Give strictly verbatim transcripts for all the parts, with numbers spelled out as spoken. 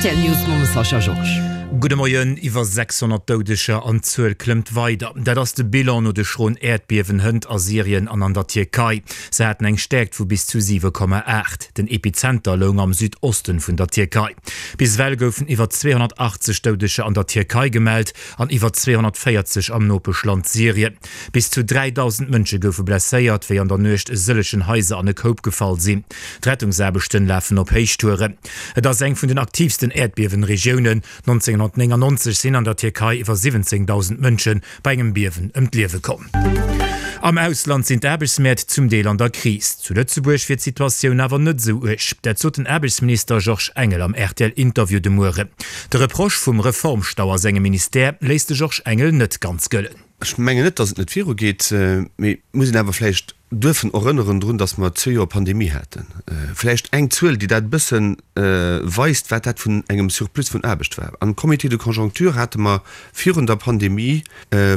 Rtl News mam Sascha Georges. Gudde Moien, Iwwer sechshonnert Doudeger an d'Zuel klëmmt weider. Dat ass de Bilan no de schroen Äerdbiewen hënt a Syrien an an der Tierkei. Se haten eng Stäerkt vu bis zu siwe Komma aacht. Den Epizenter loung am Südosten vun der Tierkei. Bis ewell goufen iwwer zweehonnertachtzeg Doudeger an der Tierkei gemellt an iwwer zweehonnertvéierzeg am Nopeschland Syrien. Bis zu dräidausend Mënsche goufe blesséiert, wéi an der Nuecht e sëllegen Haiser an e Koup gefall sinn. D'Rettungsaarbechten lafen op Héichtouren. Et ass eng vun den aktiivsten Äerdbiewen-Regiounen. nonzénghonnertnéngannonzeg sinn an der Tierkei iwwer siwwenzéngdausend Mënsche bei engem Biewen ëm d'Liewe komm. Am Ausland sinn d'Aarbechtsmäert zum Deel an der Kris. Zu Lëtzebuerg wier d'Situatioun awer net esou uerg. Dat sot den Aarbechtsminister Georges Engel am R T L-Interview de Mueren. De Reproche vum Reformstau a sengem Ministère léisst de Georges Engel net ganz gëllen. Ech mengen net, datt et net virugeet, mee et muss een awer vläicht duerfen erënneren drun, datt mer zwee Joer Pandemie haten. Vläicht eng Zuel, déi dat e bësse weist, wat dat vun engem Surplus vun Aarbecht war. Am Comité de conjoncture hate mer virun der Pandemie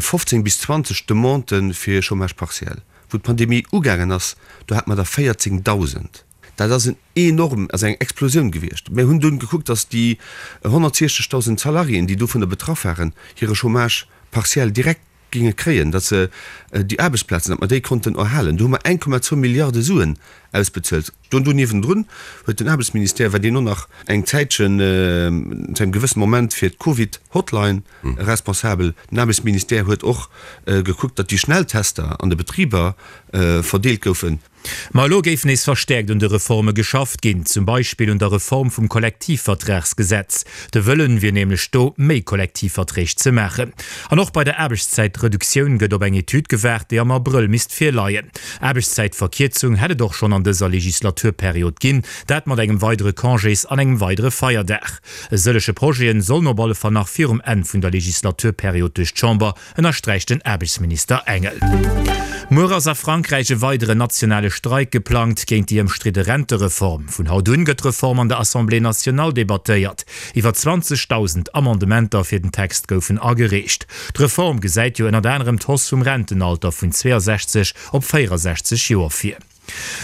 fofzéng bis zwanzeg Demandë fir Chômage partiel. Wou d'Pandemie ugaangen ass, do hate mer der véierzéngdausend. Dat ass en enorm, ass eng Explosioun gewiescht. Mir hunn dunn gekuckt, datt déi honnertsiechzegdausend Salariéen, déi dovunner betraff waren, hire Chômage partiel direkt ginge kréien, datt se déi Aarbechtsplazen, datt mer déi konnten erhalen. Do hu mer eng Komma zwou Milliarde Suen ausbezuelt. Do do niewendrun huet den Aarbechtsministère, war deen och nach eng Zäitchen, zu engem gewëssene Moment fir d'Covid-Hotline responsabel. Den Aarbechtsministère huet och gekuckt, datt déi Schnelltester an de Betriber verdeelt goufen. Ma elo géif nees verstäerkt un de Reforme geschafft ginn, zum Beispill un der Reform vum Kollektivvertragsgesetz. De Wëllen wier nämlech do, méi Kollektivverträg ze maachen. An och bei der Aarbechtszäitreduktioun gëtt op eng Etüd gewaart, déi am Abrëll misst virleien. Aarbechtszäitverkierzung hätt et och schonn an dëser Legislaturperiod ginn, dat mat engem weidere Congés an engem weidere Feierdag. E sëllege Projeten sollen op alle Fall nach virum Enn vun der Legislaturperiod duerch d'Chamber, ënnersträicht den Aarbechtsminister Engel. Muer ass a Frankräich e weideren nationale Streik geplangt géint déi ëmstridde Rentereform. Vun haut un gëtt d'Reform an der Assemblée nationale debattéiert. Iwwer zwanzegdausend Amendementer fir den Text goufen agereecht. D'Reform gesäit jo ënnert anerem d'Hausse vum Rentenalter vun zweeasechzeg op véierasechzeg Joer vir.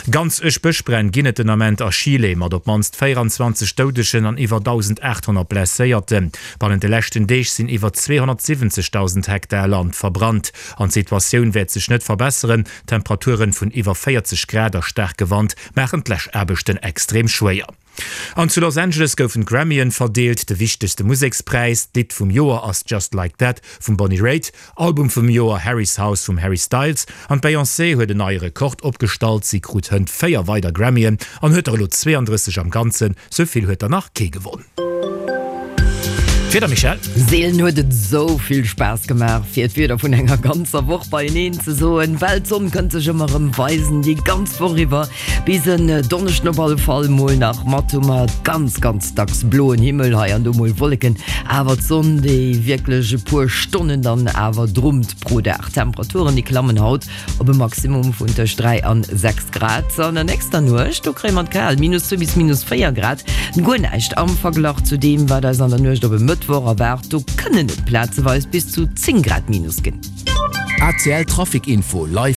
Ganz uerg Bëschbränn ginn et den Ament a Chile, mat op d'mannst véieranzwanzeg Doudegen an iwwer dausendaathonnert Blesséierten. Bannent de leschten Deeg sinn iwwer zweehonnertsiwwenzegdausend Hektar Land verbrannt. An d'Situatioun wäert sech net verbesseren, Temperaturen vun iwwer véierzeg Grad a staarke Wand maachen d'Läschaarbechten extrem schwéier. An zu Los Angeles goufen d'Grammyen verdeelt, de wichtegste Musekspräis. D'Lidd vum Joer ass Just Like That vum Bonnie Raitt, Album vum Joer Harry's House vum Harry Styles an d'Beyoncé huet en neie Rekord opgestallt, si krut hënt véier weider Grammyen an huet der elo zweeandrësseg am Ganzen, sou vill huet der nach kee gewonn. D'Wieder, Michèle? Seelen huet et esou vill Spaass gemaach, fir d'Wieder vun enger ganzer Woch beieneen ze soen, well d'Sonn kënnt sech ëmmer erëm weisen, déi ganz Woch iwwer. Bis en Donneschden op alle Fall mol nach mat hu mer ganz, ganz dacks bloen Himmel, hei an do mol Wolleken, awer d'Sonn, déi wierklech e puer Stonnen dann awer drummt pro Dag. D'Temperaturen, déi klammen haut op e Maximum vun tëscht dräi an sechs Grad. An der nächster Nuecht, do kréie mer et kal, minus zwee bis minus véier Grad, guer näischt am Verglach zu deem, wat eis an der Nuecht op e Mëttwoch erwaart. Do kënnen et plazeweis bis zu zéng Grad minus ginn. A C L Trafic Info live.